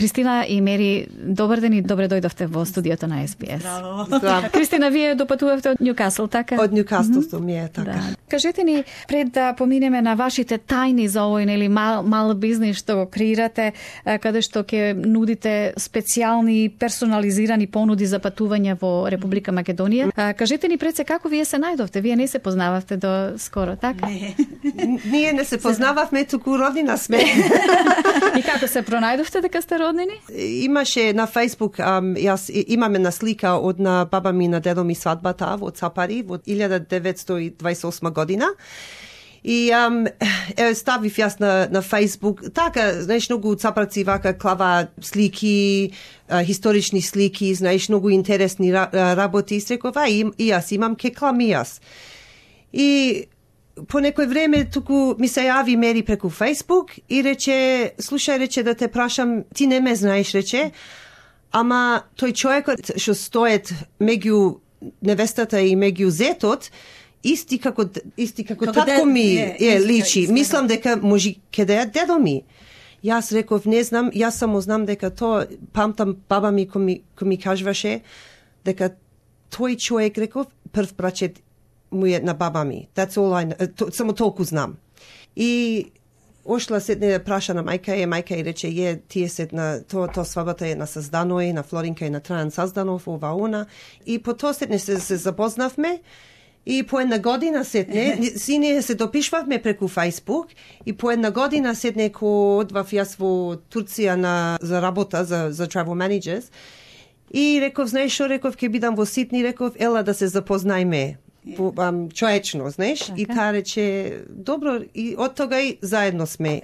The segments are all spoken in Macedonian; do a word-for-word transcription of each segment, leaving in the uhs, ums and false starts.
Кристина и Мери, добар ден и добре дојдовте во студиото на Ес Би Ес. Браво. Здраво. Кристина, вие допатувавте од Њукасл, така? Од Њукасл сум е, така. Да. Кажете ни, пред да поминеме на вашите тајни за овој нели мал, мал бизнис што го креирате, каде што ќе нудите специјални персонализирани понуди за патување во Република Македонија. Кажете ни пред се како вие се најдовте? Вие не се познававте до скоро, така? Не. Ние не се познававме, туку роднина сме. И како се пронајдовте дека сте роднини? Имаше на Facebook, ам, јас имаме на слика од на баба ми на дедо ми свадбата во Цапари во илјада деветстотини и дваесет и осма година. И ам, е, ставив јас на, на Facebook, така, знаеш, многу цапарци вака клава слики, а, исторични слики, знаеш, многу интересни работи. И реков, а, и, и јас имам, ке клам и јас. И по некој време туку ми се јави Мери преку Facebook и рече, слушај, рече, да те прашам, ти не ме знаеш, рече, ама тој човекот што стоет меѓу невестата и меѓу зетот, исти како исти како, како татко ми е, е личи. Мислам дека може ке да е дедо ми. Јас реков, не знам, јас само знам дека тоа, памтам баба ми кој ми, кој ми кажуваше дека тој човек, реков, прв брачет му е на баба ми. That's all I know. То, само толку знам. И ошла седне да праша на мајка е, мајка и рече, е, тие се на, тоа то свадбата е на Сазданој, на Флоринка и на Трајан Сазданов, ова она. И по тоа седне се, се запознавме. И по една година седне, си ние се допишвавме преку Facebook, и по една година седне ко одвав јас во Турција на, за работа, за, за travel managers. И реков, знаеш шо, реков, ке бидам во Сидни, реков, ела да се запознајме. По, ам, човечно, знаеш, така. И таа рече, добро, и од тога и заедно сме.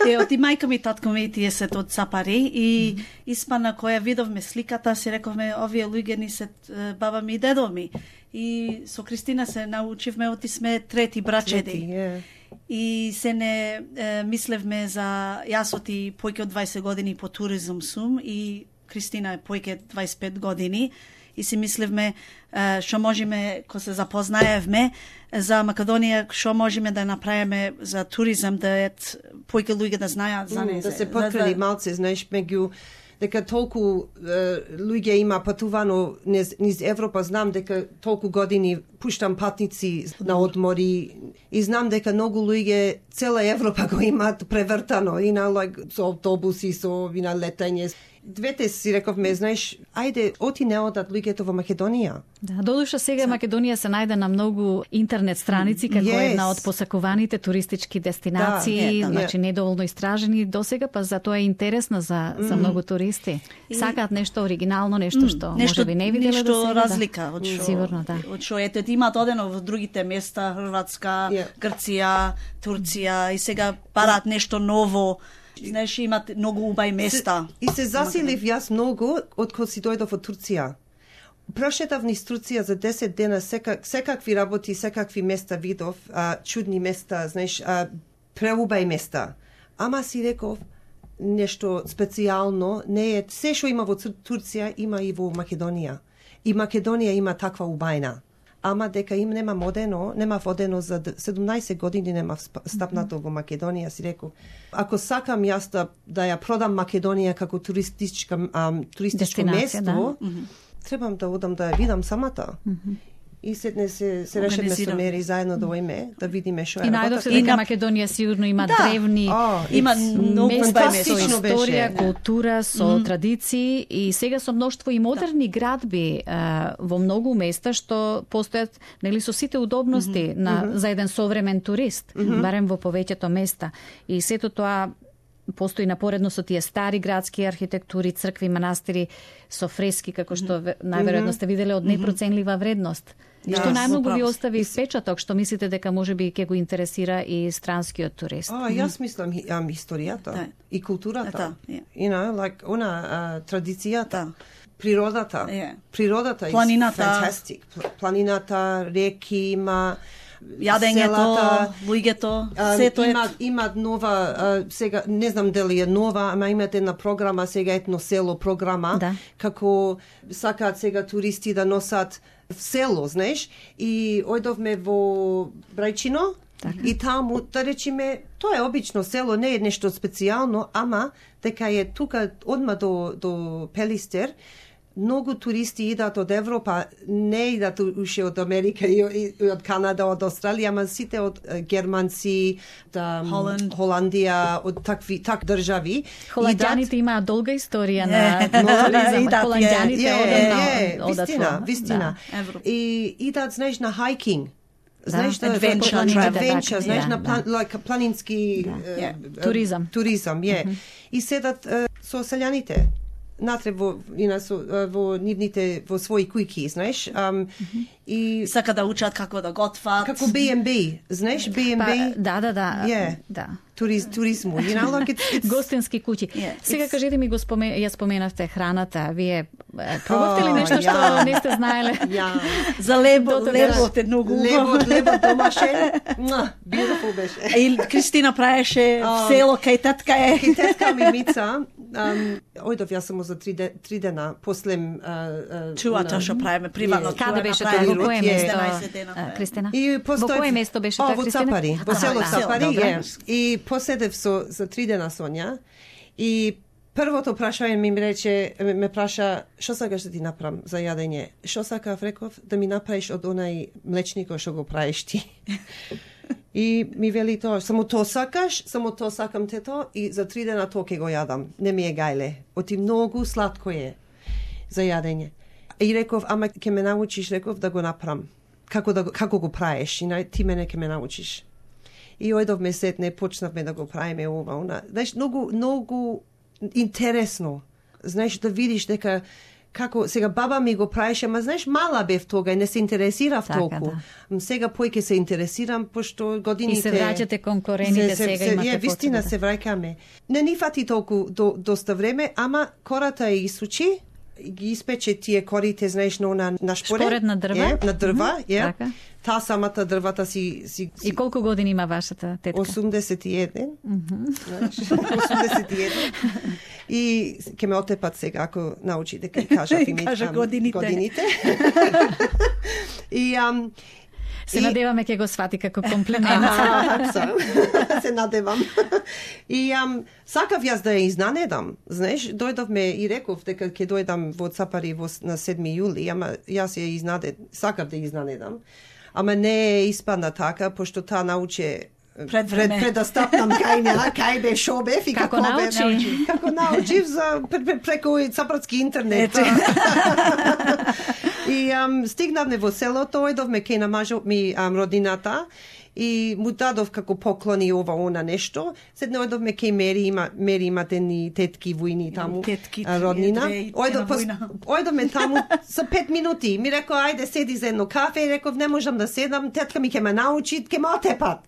Е, од и мајка ми, татко ми, тие се од Цапари, и испана која видовме сликата, си рековме, овие луѓе ни се баба ми и дедо ми. И со Кристина се научивме, оти сме трети брачеди. Трети, yeah. И се не е, мислевме за, јас оти појќе од дваесет години по туризм сум, и Кристина е појќе дваесет и пет години, и си мислевме што можеме, кога се запознаевме за Македонија, што можеме да направиме за туризам, да е појќе луѓе да знаат за незе. Mm, да се поткрени малце, знаеш, меѓу дека толку е, луѓе има патувано низ, низ Европа, знам дека толку години пуштам патници на одмори и знам дека многу луѓе цела Европа го имаат превртано и на like, со автобуси, со и на летање. Двете си рековме, знаеш, ајде, оти не одат луѓето во Македонија. Да, додуша сега Македонија се најде на многу интернет страници како yes. една од посакуваните туристички дестинации, да, да, значи да. недоволно истражени досега, па затоа е интересна за за многу туристи. И... Сакаат нешто оригинално, нешто што нешто, можеби не виделе нешто досега. разлика од што Сигурно, да. Од што ете имаат одено во другите места, Хрватска, yeah. Грција, Турција, и сега бараат нешто ново. Знаеш, имат многу убави места. Се, и се засилив јас многу од кога си дојдов од Турција. Прошетав низ Турција за десет дена, секак, секакви работи, секакви места видов, а, чудни места, знаеш, а, преубави места. Ама си реков, нешто специјално, не е, се што има во Турција, има и во Македонија. И Македонија има таква убајна. Ама дека им нема модено, нема водено за седумнаесет години, нема стапнато во Македонија, си реков. Ако сакам јас да, да ја продам Македонија како туристичка, ам, туристичко место, да. требам да одам да ја видам самата. Mm-hmm. И седне се, се решиме со Мери заедно да оиме, да видиме што е работа. работа. И најдовте дека Македонија сигурно има да. древни oh, има места со историја, беше. Култура, со mm-hmm. традиции, и сега со мноштво и модерни да. градби а, во многу места што постојат, нели, со сите удобности mm-hmm. на mm-hmm. за еден современ турист, mm-hmm. барем во повеќето места. И сето тоа постои напоредно со тие стари градски архитектури, цркви, манастири со фрески, како што најверојатно сте виделе, од непроценлива вредност. Да, што најмногу ви остави впечаток, што мислите дека можеби ќе го интересира и странскиот турист? А, јас мислам ам, историјата да. и културата. Да, yeah. You know, like, она, uh, традицијата, да. природата. Yeah. Природата е fantastic. Планината, реки има, јадењето, луѓето, сето е. Имат, имат нова, а, сега, не знам дали е нова, ама имате една програма, сега етно село програма, да. како сакаат сега туристи да носат в село, знаеш, и ојдовме во Брајчино, И таму, да речеме, тоа е обично село, не е нешто специјално, ама дека е тука одма до, до Пелистер, многу туристи идат од Европа, не идат уште од Америка и, и од Канада, од Австралија, ама сите од германци, да, Холанд. Холандија, од такви так држави. Холандјаните имаат долга историја на туризам. Холандјаните одат одат вистина, во- вистина. да, И идат, знаеш, на хайкинг. Знаеш, да, adventure adventure, travel. знаеш, Да, на да. план, like, планински Да. е, Yeah. е, Туризам. Туризам, е. И седат е, со селјаните натре во, ина, со, е, во нивните, во своји кујки, знаеш, ам, и Сака да учат како да готват. како би енд би, знаеш, би енд Па, би, да, да, да. Yeah. Да. туриз, туризму, you know, like it's, it's Гостински куќи. Yeah. Сега It's- кажете ми, го споме, ја споменавте храната. Вие е, пробавте ли О, нешто што ја. не сте знаеле? ја, За лебо, До тога- лебот е многу лебот, лебот домашен, муа, beautiful беше. И Кристина праеше А, село кај татка е. Ки тетка ми Мица, um, ојдов јас само за три, де, три дена, после... Uh, uh, Чувато што правиме приватно. Е. Каде туа беше направиме. тоа? Во кое Е. место? еднаесет дена. а, Кристина? И Во постои... кое место беше О, тоа, во Кристина? Цапари, во Така, село да. Цапари, Добре. е. И поседев со, за три дена со неа и првото прашање ми рече, ме, ме праша, што сакаш да ти направам за јадење? Што сакав, реков, да ми направиш од онај млечникот што го правиш ти. И ми вели тоа, само тоа сакаш, само тоа сакам тето и за три дена тоа ќе го јадам. Не ми е гајле. Оти многу сладко е за јадење. И реков, ама ќе ме научиш, реков, да го направам. Како, да, го- како го правиш, и нај- ти мене ќе ме научиш. И ојдовме сетне, почнавме да го правиме ова, она. Знаеш, многу, многу интересно. Знаеш, да видиш дека како сега баба ми го правеше, ама знаеш, мала бев тога и не се интересирав Така, толку. да. Сега појќе се интересирам, пошто годините... И се враќате кон корените, сега имате Е, вистина потребата. се враќаме. Не ни фати толку до, доста време, ама кората ја исучи, ги испече тие корите, знаеш, на она на шпоред. Шпоред на дрва? Е, на дрва, Мгм, е. така. Таа самата дрвата си... си, си И колку години има вашата тетка? осумдесет и еден. Знаеш, осумдесет и еден. И ќе ме отепат сега ако научи дека и кажа и ми Кажа ам, годините. годините. И ам Се и- надеваме ќе го свати како комплимент. Аха, се надевам. И ам, сакав јас да ја изнанедам. Знаеш, дојдовме и реков дека ќе дојдам во Цапари во, на седми јули, ама јас ја изнадед, сакав да ја изнанедам. Ама не испадна така, пошто таа научи Пред време. пред, пред да стапнам кај неа, кај бе, шо бев и Како како бев. научи? Како научив за пр- пр- преку цапратски интернет. Ете. И ам, стигнавме во селото, ојдовме кај на мажот ми ам, родината и му дадов како поклони ова она нешто. Седне ојдовме кај Мери, има Мери имате ни тетки војни таму, Тетки, а, роднина. две и Ојдов една пос, војна. ојдовме таму за пет минути. Ми рекол ајде седи за едно кафе и реков не можам да седам, тетка ми ќе ме научи, ќе ме отепат.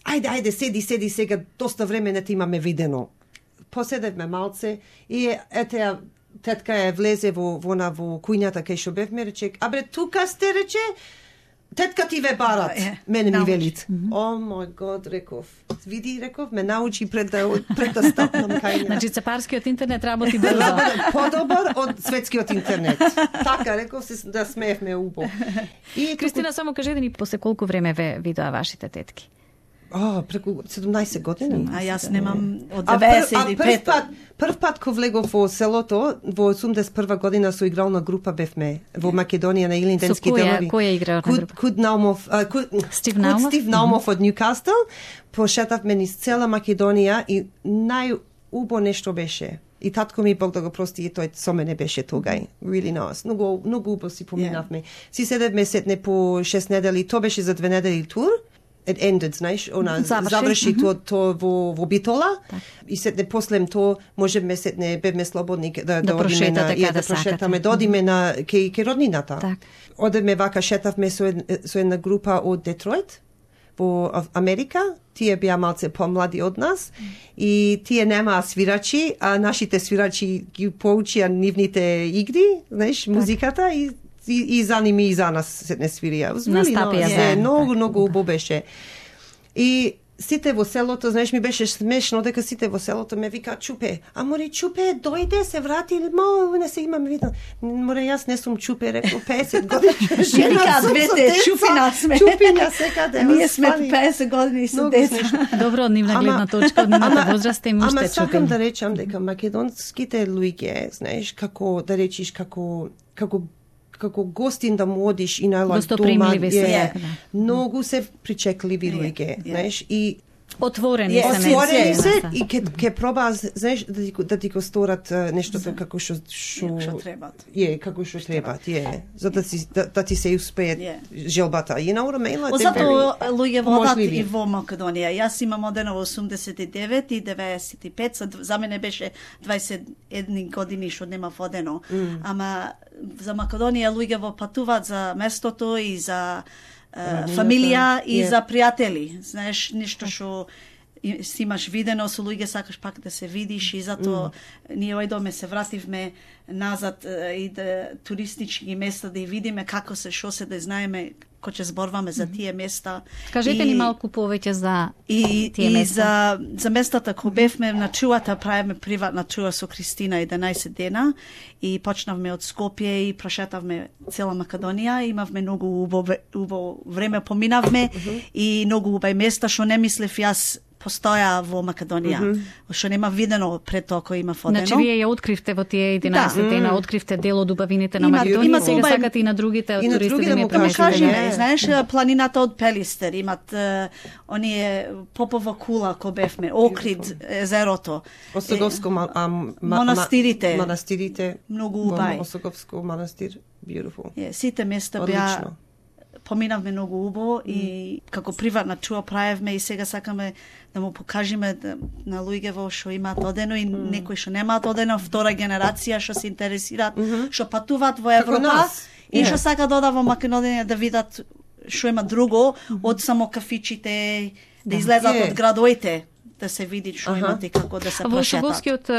Ајде, ајде, седи, седи сега, доста време не те имаме видено. Поседевме малце и ете ја тетка ја влезе во во на во кујната кај што бевме, рече, абре тука сте, рече, тетка ти ве барат. Е, Мене ми научи. велит. О мој год, реков. Види, реков, ме научи пред да пред да стапнам кај неа. Значи, цапарскиот интернет работи брзо. Подобар од светскиот интернет. Така, реков се да смеевме убо. И Кристина, само кажете ни после колку време ве видоа вашите тетки? О, преку седумнаесет години. А јас немам од А, прв, а деветдесет и прв пет. пат, прв пат ко влегов во селото, во осумдесет и прва година со игрална група бевме во Македонија на Илинденски Со која- делови. која игрална Куд, група? Куд Наумов, а, Куд, Стив Куд Наумов? Стив Наумов од Ньюкастл. Пошетавме низ цела Македонија и најубо нешто беше. И татко ми, Бог да го прости, и тој со мене беше тогај. Really nice. Многу, многу убаво си поминавме. Си седевме сетне по шест недели, тоа беше за две недели тур. It ended, знаеш, она Заврши. заврши тоа то во во Битола и сетне после тоа можеме сетне бевме слободни да да, Да одиме на прошетате и каде да прошетаме, сакате. да одиме на кај кај роднината. Так. Одеме вака шетавме со ед- со една група од Детройт во Ав- Америка. Тие беа малце помлади од нас и тие немаа свирачи, а нашите свирачи ги поучија нивните игри, знаеш, музиката и и, и за ними и за нас се не свирија. Настапија Е, заедно, многу, така. многу убаво беше. И сите во селото, знаеш, ми беше смешно дека сите во селото ме вика Чупе. А море Чупе дојде, се врати, мо не се имаме видно. Море јас не сум Чупе, рекол песет години. Жена двете чупина сме. Чупина секаде. Ние сме песет години со деца. Добро од нивна гледна точка, од нивната возраст и уште чупини. Ама сакам чупини. да речам дека македонските луѓе, знаеш, како да речиш како како како гостин да му одиш и на лак дома, се, многу се причекливи луѓе, знаеш, и отворени се, отворени се и ке ке проба, знаеш, да ти да ти го сторат нештото како што што требат. Е, како што требат, е, за да ти да, да ти се успее желбата. You know what I mean? Like Зато луѓе водат и во Македонија. Јас имам одено во осумдесет и девет и деветдесет и пет, за мене беше дваесет и една години што нема водено. Mm. Ама за Македонија луѓе во патуваат за местото и за Uh, фамилија и yeah. за пријатели. Знаеш, нешто што си имаш видено со луѓе, сакаш пак да се видиш и затоа mm. ние ојдоме се вративме назад uh, и да туристички места да ја видиме како се, шо се, да знаеме кој ќе зборваме за тие места. Кажете и, ни малку повеќе за и, тие и места. за, за местата кој бевме на чуата, правиме приватна чуа со Кристина еденаесет дена и почнавме од Скопје и прошетавме цела Македонија. Имавме многу убаво, убаво време, поминавме uh -huh. и многу убави места што не мислев јас постоја во Македонија, mm -hmm. што нема видено пред тоа кој има фодено. Значи вие ја откривте во тие единаесет да. дена, откривте дел од убавините на има, Македонија, има сега убави... сакате и на другите и на туристи да ми преместите. Знаеш, планината од Пелистер, имат uh, оние Попова кула кој бевме, Окрид, езерото. Осоговско ма, а, ма, монастирите. Монастирите. Многу убави. Осоговско манастир, beautiful. Yeah, сите места беа поминавме многу убаво mm. и како приватна чуа правевме и сега сакаме да му покажеме да, на луѓе во што имаат одено и mm. некои што немаат одено, втора генерација што се интересираат, што mm-hmm. патуваат во Европа и што yeah. сакаат да одат во Македонија да видат што има друго mm -hmm. од само кафичите, да излезат yeah. од градоите, да се види што имате и како да се прошетат. Во Осоговскиот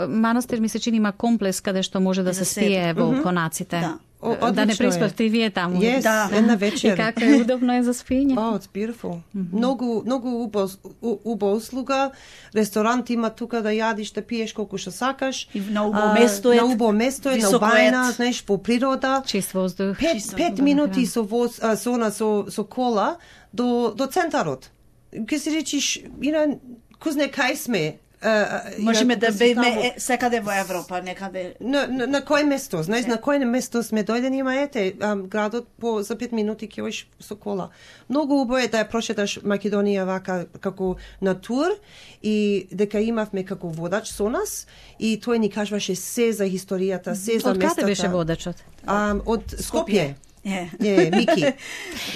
манастир ми се чини има комплекс каде што може да, да се спие во mm -hmm. конаците. Да. О, да не преспавте и вие таму. Yes, да. Една вечер. И како е удобно е за спиење. Oh, it's beautiful. Mm -hmm. Многу, многу убав, убава услуга. Ресторант има тука да јадиш, да пиеш колку што сакаш. И на убаво место е. На убаво место е, на убајна, знаеш, во природа. Чист воздух. Пет, Чист пет минути со воз, а, со, на, со, со кола до, до центарот. Ке си речиш, ина, кузне кај сме. Uh, Можеме да беме секаде во Европа, некаде. На, на, на кој место? Знаеш, на кој место сме дојдени, има ете, um, градот по за пет минути ќе одиш со кола. Многу убаво е да ја прошеташ Македонија вака како на тур и дека имавме како водач со нас и тој ни кажуваше се за историјата, се за од местата. Од каде беше водачот? Um, од Скопје. Е, yeah. yeah, Мики.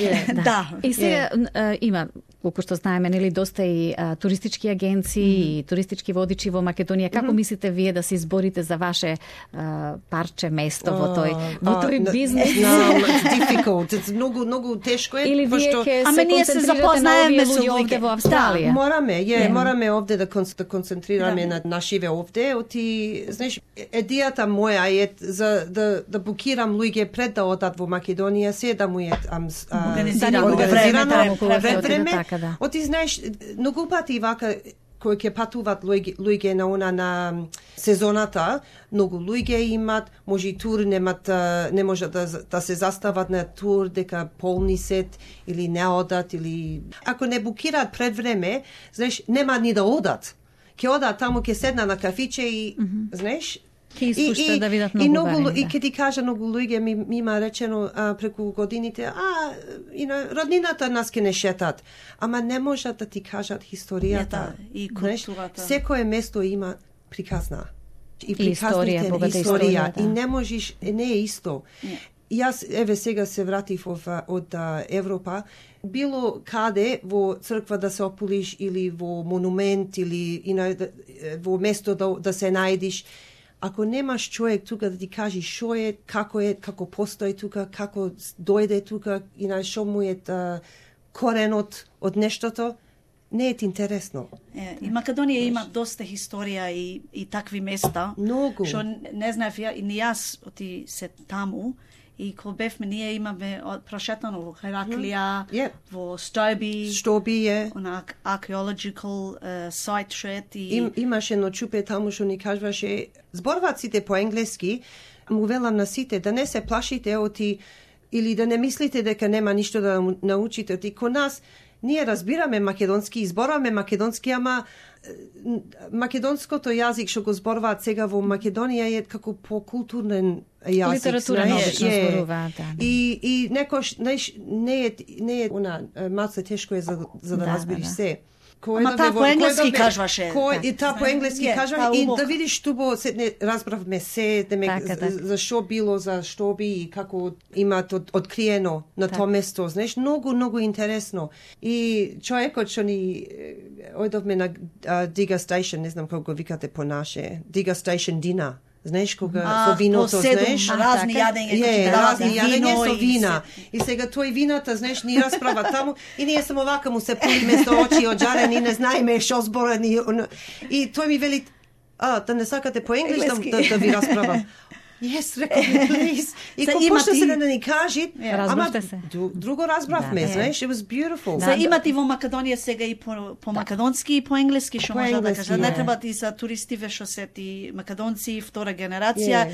Yeah. Да. И сега yeah. има, колку што знаеме, нели доста и а, туристички агенции mm -hmm. и туристички водичи во Македонија. Како mm -hmm. мислите вие да се изборите за ваше а, парче место uh, во тој во тој uh, бизнес? No, it's difficult. It's многу многу тешко е. Или вие што... ќе се концентрирате на овие луѓе овде во Австралија? Да, мораме, е, yeah. мораме овде да, кон, да концентрираме yeah. на нашиве овде. Оти, знаеш, идејата моја е за да да букирам луѓе пред да одат во Македонија, се да му е организирано време. Да. Оти знаеш, многу пати вака кои ќе патуваат луѓе, луѓе на она на сезоната, многу луѓе имат, може и тур немат, не може да, да се застават на тур дека полни сет или не одат или ако не букираат пред време, знаеш, нема ни да одат. Ќе одат таму, ќе седна на кафиче и mm -hmm. знаеш, Ки искуште да видат многу и многу, барем, да. И ке ти кажа, многу луѓе ми, ми има речено а, преку годините, а, и на роднината нас ке не шетат. Ама не можат да ти кажат историјата. И културата. Секое место има приказна. И приказните историја, историја, да. И не можеш, не е исто. Не. Јас, еве сега се вратив од, од Европа, било каде во црква да се ополиш или во монумент или и на, во место да, да се најдиш, ако немаш човек тука да ти кажи што е, како е, како постои тука, како дојде тука и на што му е та, коренот од нештото, не е ти интересно. Е, и Македонија има доста историја и, и такви места. Многу. Што не знаев ја, и ни јас оти се таму И кога бевме, ние имаме прошетано во Хераклија, Yep. во Стоби, Стоби е. на archaeological uh, site шет и Им, имаше едно чупе таму што ни кажуваше, зборуваат сите по енглески, му велам на сите да не се плашите оти или да не мислите дека нема ништо да научите оти. Ко нас ние разбираме македонски, изборуваме македонски, ама македонското јазик што го зборуваат сега во Македонија е како покултурен јазик. Литература обично зборуваат, да. И и некош знаеш, не е не е она малце тешко е за за да, да разбереш да, да. се. Ама таа по енглески кажваше. Кој и таа по енглески кажува и да видиш тубо се не разбравме се демек така, така. за што било, за што би и како имаат од, откриено на тоа место, знаеш, многу многу интересно. И човекот што ни ојдовме на uh, Diga Station, не знам како го викате по наше, Diga Station Dina. Знаеш кога а, со виното, знаеш, разни јадења, е, разни јадења со вина. И, и сега тој вината, знаеш, ни расправа таму и ние само вака му се пулиме со очи оџарени, не знаеме што зборани. И тој ми вели, а, да не сакате по енглески да, да ви расправам. Yes, рекол ми, please. И ко почна се да ни кажи, ама друго разбравме, да, знаеш, it was beautiful. За имате во Македонија сега и по, по македонски и по енглески, што може да кажа. Не треба ти за туристиве што се ти македонци, втора генерација.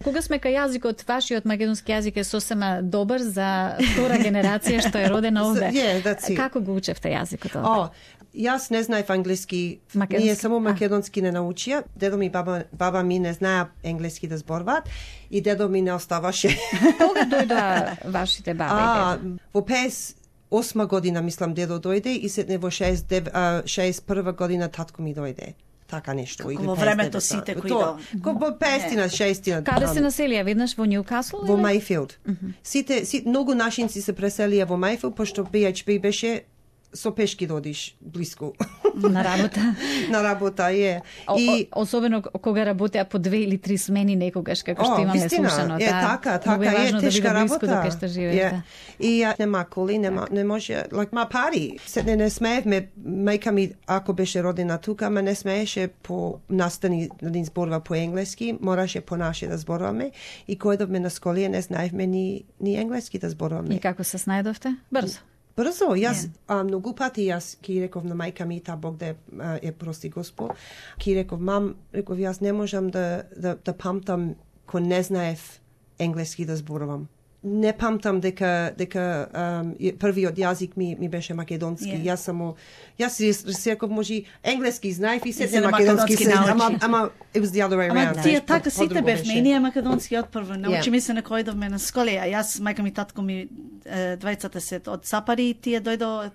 Кога сме кај јазикот, вашиот македонски јазик е сосема добар за втора генерација што е родена овде. Yeah, како го учевте јазикот овде? Oh, јас не знаев англиски, македонски. Ние само македонски не научија. Дедо ми, баба, баба ми не знаја енглиски да зборуваат и дедо ми не оставаше. Кога дојдоа вашите баба и дедо? Во песет и осма година, мислам, дедо дојде и сетне во шеесет и прва година татко ми дојде. Така нешто. Како во времето сите кои до... Во петстотина, шеестина. Каде се населија веднаш во Ньукасл? Во Мајфилд. Сите, сите, многу нашинци се преселија во Мајфилд, пошто би еич би беше со пешки додиш блиску. На работа. На работа, е. И о, особено кога работеа по две или три смени некогаш, како што имаме слушано. Е, така, така, е, е тешка да работа. До што живеете. И ја нема коли, нема, не може, like, ма пари. Се не, не смеевме, мајка ми, ако беше родена тука, ма не смееше по настани да ни зборува по енглески, мораше по наше да зборуваме. И кој дојдовме на сколија, не знаевме ни, ни енглески да зборуваме. И како се снајдовте? Брзо. Брзо, јас yeah. а, многу пати јас ки реков на мајка ми, та Бог да е прости Господ, ки реков, мам, реков, јас не можам да, да, да памтам ко не знаев енглески да зборувам. Не памтам дека дека um, првиот јазик ми ми беше македонски. Yeah. Јас само јас си реков може енглески знаев и се не македонски се, ама ама it was the other way around. Ама тие така сите бевме и ние македонски од прво. Научи ми се на кој дојдовме на сколија. Јас мајка ми татко ми двајцата се од Сапари, тие дојдо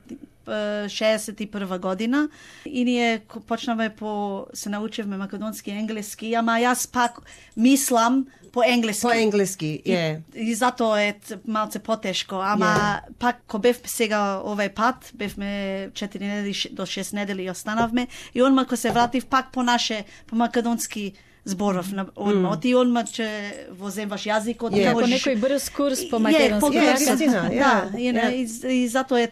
шеесет и прва година и ние почнавме по се научевме македонски и енглески, ама јас пак мислам по енглески. По енглески, е. Yeah. И, и затоа е малце потешко, ама yeah. пак ко бев сега овај пат, бевме четири недели до шест недели и останавме и онма ко се вратив пак по наше по македонски зборов на одма. Mm. Оти одма че воземаш јазикот, yeah. како некој брз курс по македонски. Yeah, да, yeah. и, и затоа е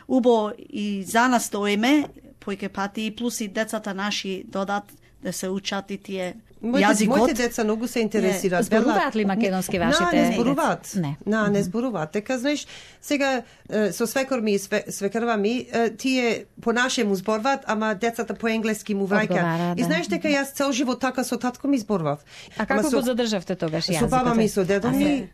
убо и за нас тоеме појке пати и плюс и децата наши додат да се учат и тие јазикот. Моите деца многу се интересираат. Зборуваат ли македонски вашите? На, не зборуваат. Не. На, не зборуваат. Така, знаеш, сега со свекор ми и свекрва ми, тие по нашему зборуваат, ама децата по енглески му враќаат. И знаеш дека јас цел живот така со татко ми зборував. А како го задржавте тогаш јазикот? Со баба ми, со дедо ми,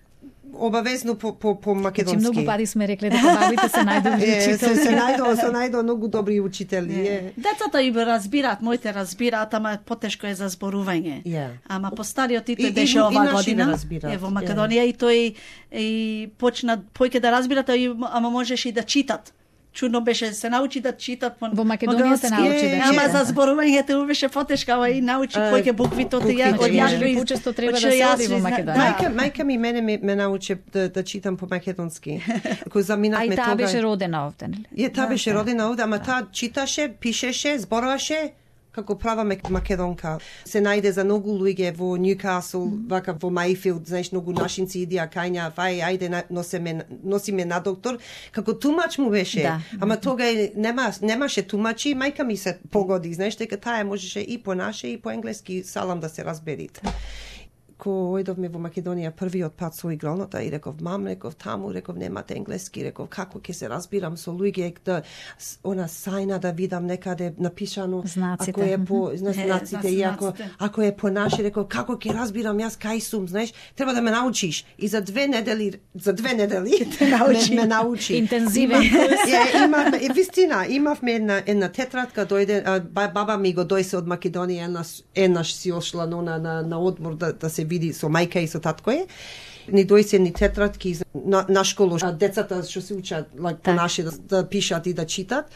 обавезно по по по македонски. Значи многу пати сме рекле дека бабите се најдобри учители. Се се најдо, се најдо многу добри учители. Е. Децата и разбираат, моите разбираат, ама потешко е за зборување. Yeah. Ама постариот и тој беше ова година. Е во Македонија yeah. и тој и почна појќе да разбират, ама можеш и да читат. Чудно беше се научи да читат по во Македонија се научи да читат. Ама за зборувањето беше потешко, ама и научи појќе буквите од ја од ја почесто треба да се оди во Македонија. Мајка мајка ми мене ме, ме научи да, да читам по македонски. Кој заминавме тога. А таа беше родена овде, нели? Е, таа беше родена овде, ама таа читаше, пишеше, зборуваше како права македонка. Се најде за многу луѓе во Ньюкасл, вака во Мајфилд, знаеш, многу нашинци идија кајња, фај, ајде носиме, носиме на доктор, како тумач му беше. Да. Ама тога нема, немаше тумачи, мајка ми се погоди, знаеш, дека таа можеше и по наше и по енглески салам да се разберит. ко ојдовме во Македонија првиот пат со игралната и реков, мам, реков, таму, реков, немате енглески, реков, како ќе се разбирам со луѓе, да, она сајна да видам некаде напишано, знаците. Ако е по знаците, и ако, ако е по наши, реков, како ќе разбирам јас кај сум, знаеш, треба да ме научиш. И за две недели, за две недели ме, ме научи. Интензивен. Ја, имавме, и вистина, имавме една, една тетрадка, дојде, а, баба ми го дојсе од Македонија, еднаш, еднаш си ошла на, на, на одмор да, да се види со мајка и со татко е. Ни дојсе ни тетрадки на, на школу, а децата што се учат like, по наши да, да пишат и да читат.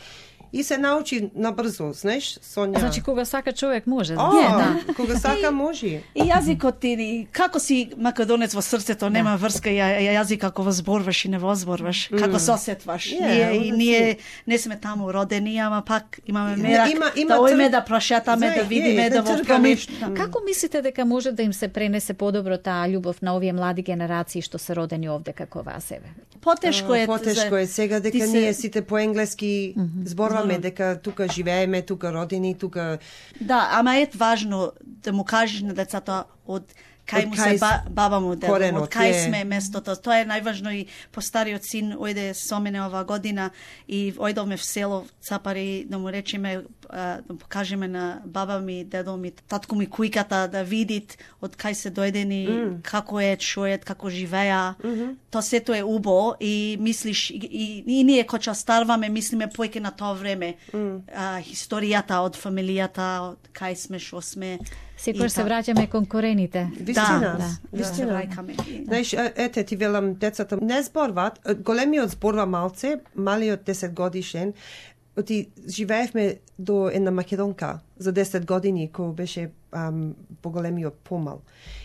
И се научи набрзо, знаеш, Сонја. Значи, кога сака човек може. О, да. Кога сака може. И јазикот ти, како си македонец во срцето, нема врска ја, јазик како во зборваш и не во зборваш, mm. како се осетваш. Yeah, ние и ние не сме таму родени, ама пак имаме мерак има, има да ојме тр... да прошетаме, да видиме, е, да во промиш. Како мислите дека може да им се пренесе подобро таа љубов на овие млади генерации што се родени овде како вас еве? Потешко е. Потешко е сега дека се... ние сите по енглески mm-hmm. зборваме, mm-hmm. дека тука живееме, тука родени, тука... Да, ама е важно да му кажеш на децата од кај му се ба, баба му дедо, од кај е... сме местото. Тоа е најважно и постариот син ојде со мене ова година и ојдовме в село Цапари да му речеме, да му покажеме на баба ми, дедо ми, татко ми кујката да видит од кај се дојдени, mm. како е, што е, како живеа. Mm-hmm. Тоа сето е убо и мислиш, и, и, и ние кога старваме, мислиме поеќе на тоа време. Mm. А, историјата од фамилијата, од кај сме, што сме. Секогаш се враќаме кон корените. Вистина, да, вистина. Да. Знаеш, ете ти велам, децата не зборват, големиот зборва малце, малиот десет годишен, ти живеевме до една македонка за десет години, кој беше ам, поголемиот помал.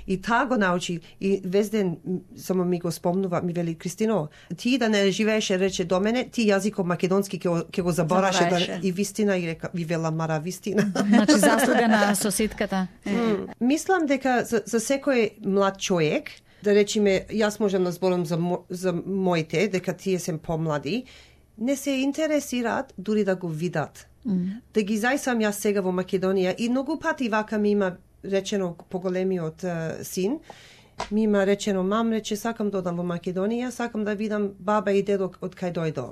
И таа го научи, и везден само ми го спомнува, ми вели, Кристино, ти да не живееше, рече до мене, ти јазикот македонски ќе го забораше, да, и вистина, и река, ви вела, мара, вистина. Значи, заслуга на соседката. Mm. Мислам дека за, за секој млад човек, да речеме, јас можам да зборам за, мо, за моите, дека тие се помлади, не се интересираат дури да го видат. Mm. Да ги зајсам јас сега во Македонија и многу пати вака ми има речено поголемиот uh, син, ми има речено, мам, рече, сакам да одам во Македонија, сакам да видам баба и дедо од кај дојдо.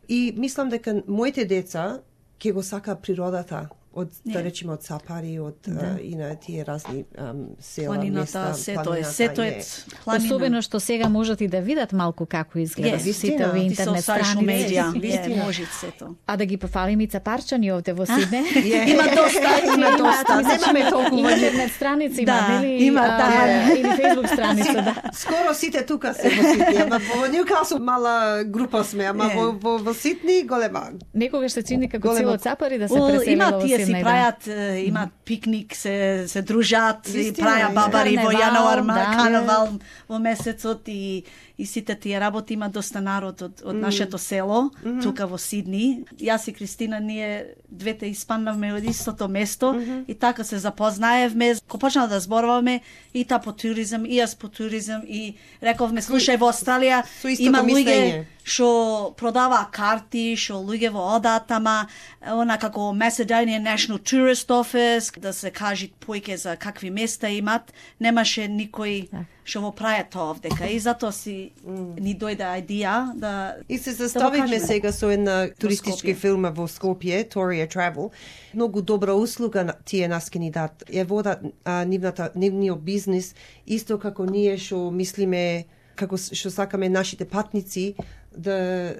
И мислам дека моите деца ќе го сака природата, од, yeah. да речеме, од Цапари, од да. uh, и на тие разни um, села, планината, места, сето е, сето е планина. Особено што сега можат и да видат малку како изгледа yes. сите овие интернет страници. Yes. Може сето. А да ги пофалим и цапарчани овде во Сидне. Yeah. Има доста, има доста. Немаме толку интернет страници има, да, нели? Има, да. Или Facebook страница, да. Скоро сите тука се во Сидни, ама во Ньукасл мала група сме, ама yeah. во, во, во Сидни голема. Некогаш се чини како голема... цело Цапари да се well, преселила во Сидни. Си прајат, имаат пикник, се, се дружат, и праја е. бабари во јануар, да, карнавал во месецот и, и сите тие работи, има доста народ од, од mm. нашето село, mm-hmm. тука во Сидни. Јас и Кристина, ние двете испаднавме од истото место mm-hmm. и така се запознаевме. Ко почнав да зборуваме и та по туризам, и јас по туризам и рековме, слушај, во Австралија има луѓе што продава карти, што луѓе во одат, ама она како Macedonian National Tourist Office, да се кажи појќе за какви места имат, немаше никој што во праја тоа овдека. И затоа си mm. ни дојде идеја да И се заставивме да сега со една туристичка фирма во Скопје, Toria Travel. Многу добра услуга тие нас ке ни дат. Ја водат а, нивната, нивниот бизнис, исто како ние што мислиме, како што сакаме нашите патници да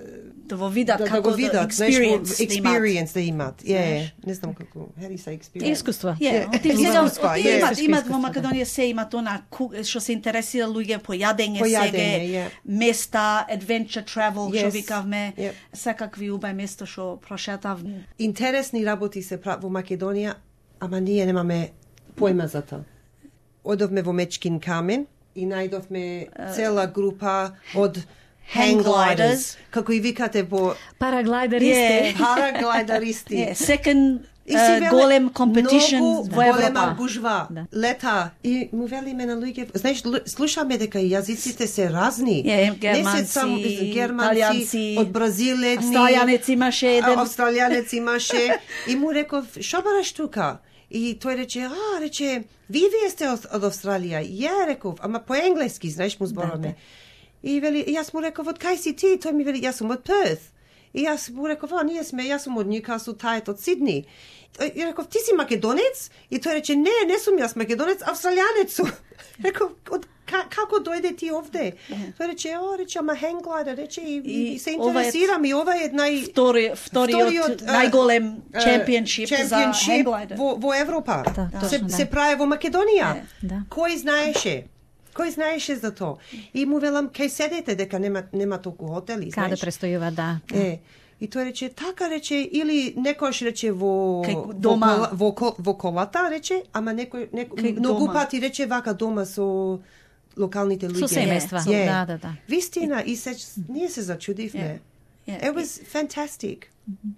да во видат да, како да го видат, experience, experience да имат. Е, yeah, не знам како, how do you say experience? Искуство. Ја, имат, имат во Македонија се имат она што се интересира луѓе по јадење, сега yeah. места, adventure travel, што yes. викавме, yep. секакви убави места што прошетавме. Интересни работи се прават во Македонија, ама ние немаме појма за тоа. Одовме во Мечкин камен и најдовме цела група од hang gliders, како и викате во параглайдеристи. Yeah. Параглайдеристи. Yeah. Second uh, голем competition во Европа. Голема гужва, да. Лета. И му велиме на луѓе, знаеш, слушаме дека јазиците се разни. Yeah, германци, не се само германци, од Бразил едни. Австралијанец имаше еден. Австралијанец имаше. И му реков, шо бараш тука? И тој рече, а, рече, ви вие сте од, од Австралија. Ја реков, ама по енглески, знаеш, му збораме. И вели, јас му реков, од кај си ти? Тој ми вели, јас сум од Перth. И јас му реков, а, ние сме, јас сум од Ньюкасл, тајот од Сидни. И реков, ти си македонец? И тој рече, не, не сум јас македонец, австралијанец сум. Реков, од како дојде ти овде? Тој рече, о, рече, ама хенглайдер, рече, и, и, и се интересирам, и ова е нај... Втори, вториот најголем чемпионшип за хенглайдер. Во, во Европа. Да, точно, се, да. се прави во Македонија. Да. Кој знаеше? Кој знаеше за тоа? И му велам, кај седете дека нема, нема толку хотели, знаеш? Каде престојува, да. Е, и тој рече, така рече, или некојаш рече во, Кај дома. во, кола, во, ко- во колата, рече, ама некој, некој Кај многу дома. пати рече вака дома со локалните луѓе. Со семејства, Е, да, да, да. Вистина, и се, ние се зачудивме. Yeah. It was fantastic,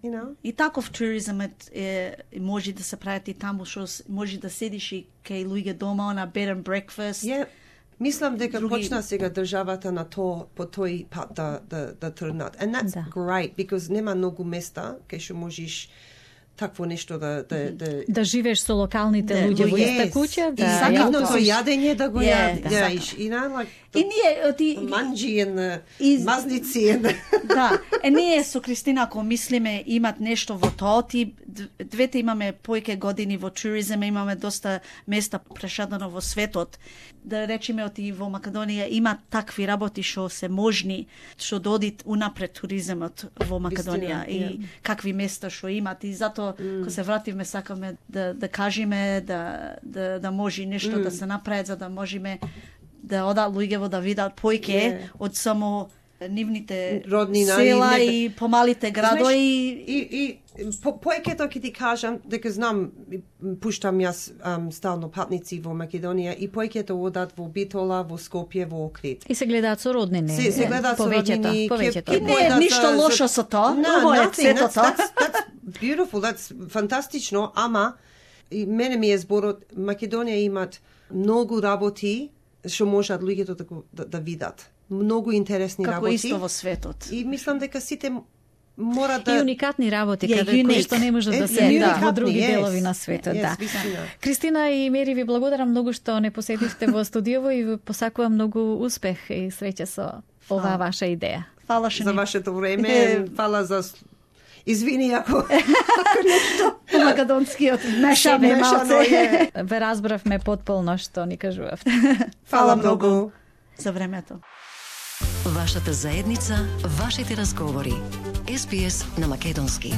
you know? И таков туризмот е, може да се прави и таму што с- може да седиш и кај луѓе дома на bed and breakfast. Yeah. Мислам дека Други- почна сега државата на тоа по тој пат да да да тргнат. And that's Да. great because нема многу места кај што можеш такво нешто да да да Да живееш со локалните Да, луѓе во Yes. иста куќа, да. И сакам ја- нивното тоа. јадење да го Yeah, јадеш. да. Yeah, you know, like И ние ти манџи and Из- мазници and да, е ние со Кристина ако мислиме имат нешто во тоа, ти д- двете имаме поеќе години во туризм, имаме доста места прешадено во светот. Да речеме оти во Македонија има такви работи што се можни, што додит унапред туризмот во Македонија Вистина, и ја. какви места што имат и затоа mm. кога се вратиме сакаме да да кажеме да да да може нешто mm. да се направи за да можеме да одат луѓе да видат појќе Yeah. од само нивните Роднина, села нека- и помалите градови. и и по поекето ќе ти кажам дека знам и пуштам јас ам, стално патници во Македонија и поекето одат во Битола, во Скопје, во Охрид. И се гледаат со роднини. Се, се гледаат со повеќето, роднини, повеќето. ќе- И не е појдат ништо за- за- лошо со тоа. No, Убаво е nothing. сето That's, тоа. that's, that's beautiful. That's фантастично, ама и мене ми е зборот Македонија имат многу работи што можат луѓето да, го- да, да видат. Многу интересни Како работи. исто во светот. И мислам дека сите мора да И уникатни работи, Е, каде кои unique. што не може Е, да се е, видат во уникатни, други yes. делови на светот. Yes, Да. вистина. Кристина и Мери, ви благодарам многу што не посетивте во студиово и ви посакувам многу успех и среќа со оваа ваша идеја. Фала што за ни вашето Е. време. Фала за извини ако ако нешто по македонскиот мешаме мешано малце. е. Ве разбравме потполно што ни кажувавте. Фала многу. За времето. Вашата заедница, вашите разговори. Ес Би Ес на македонски.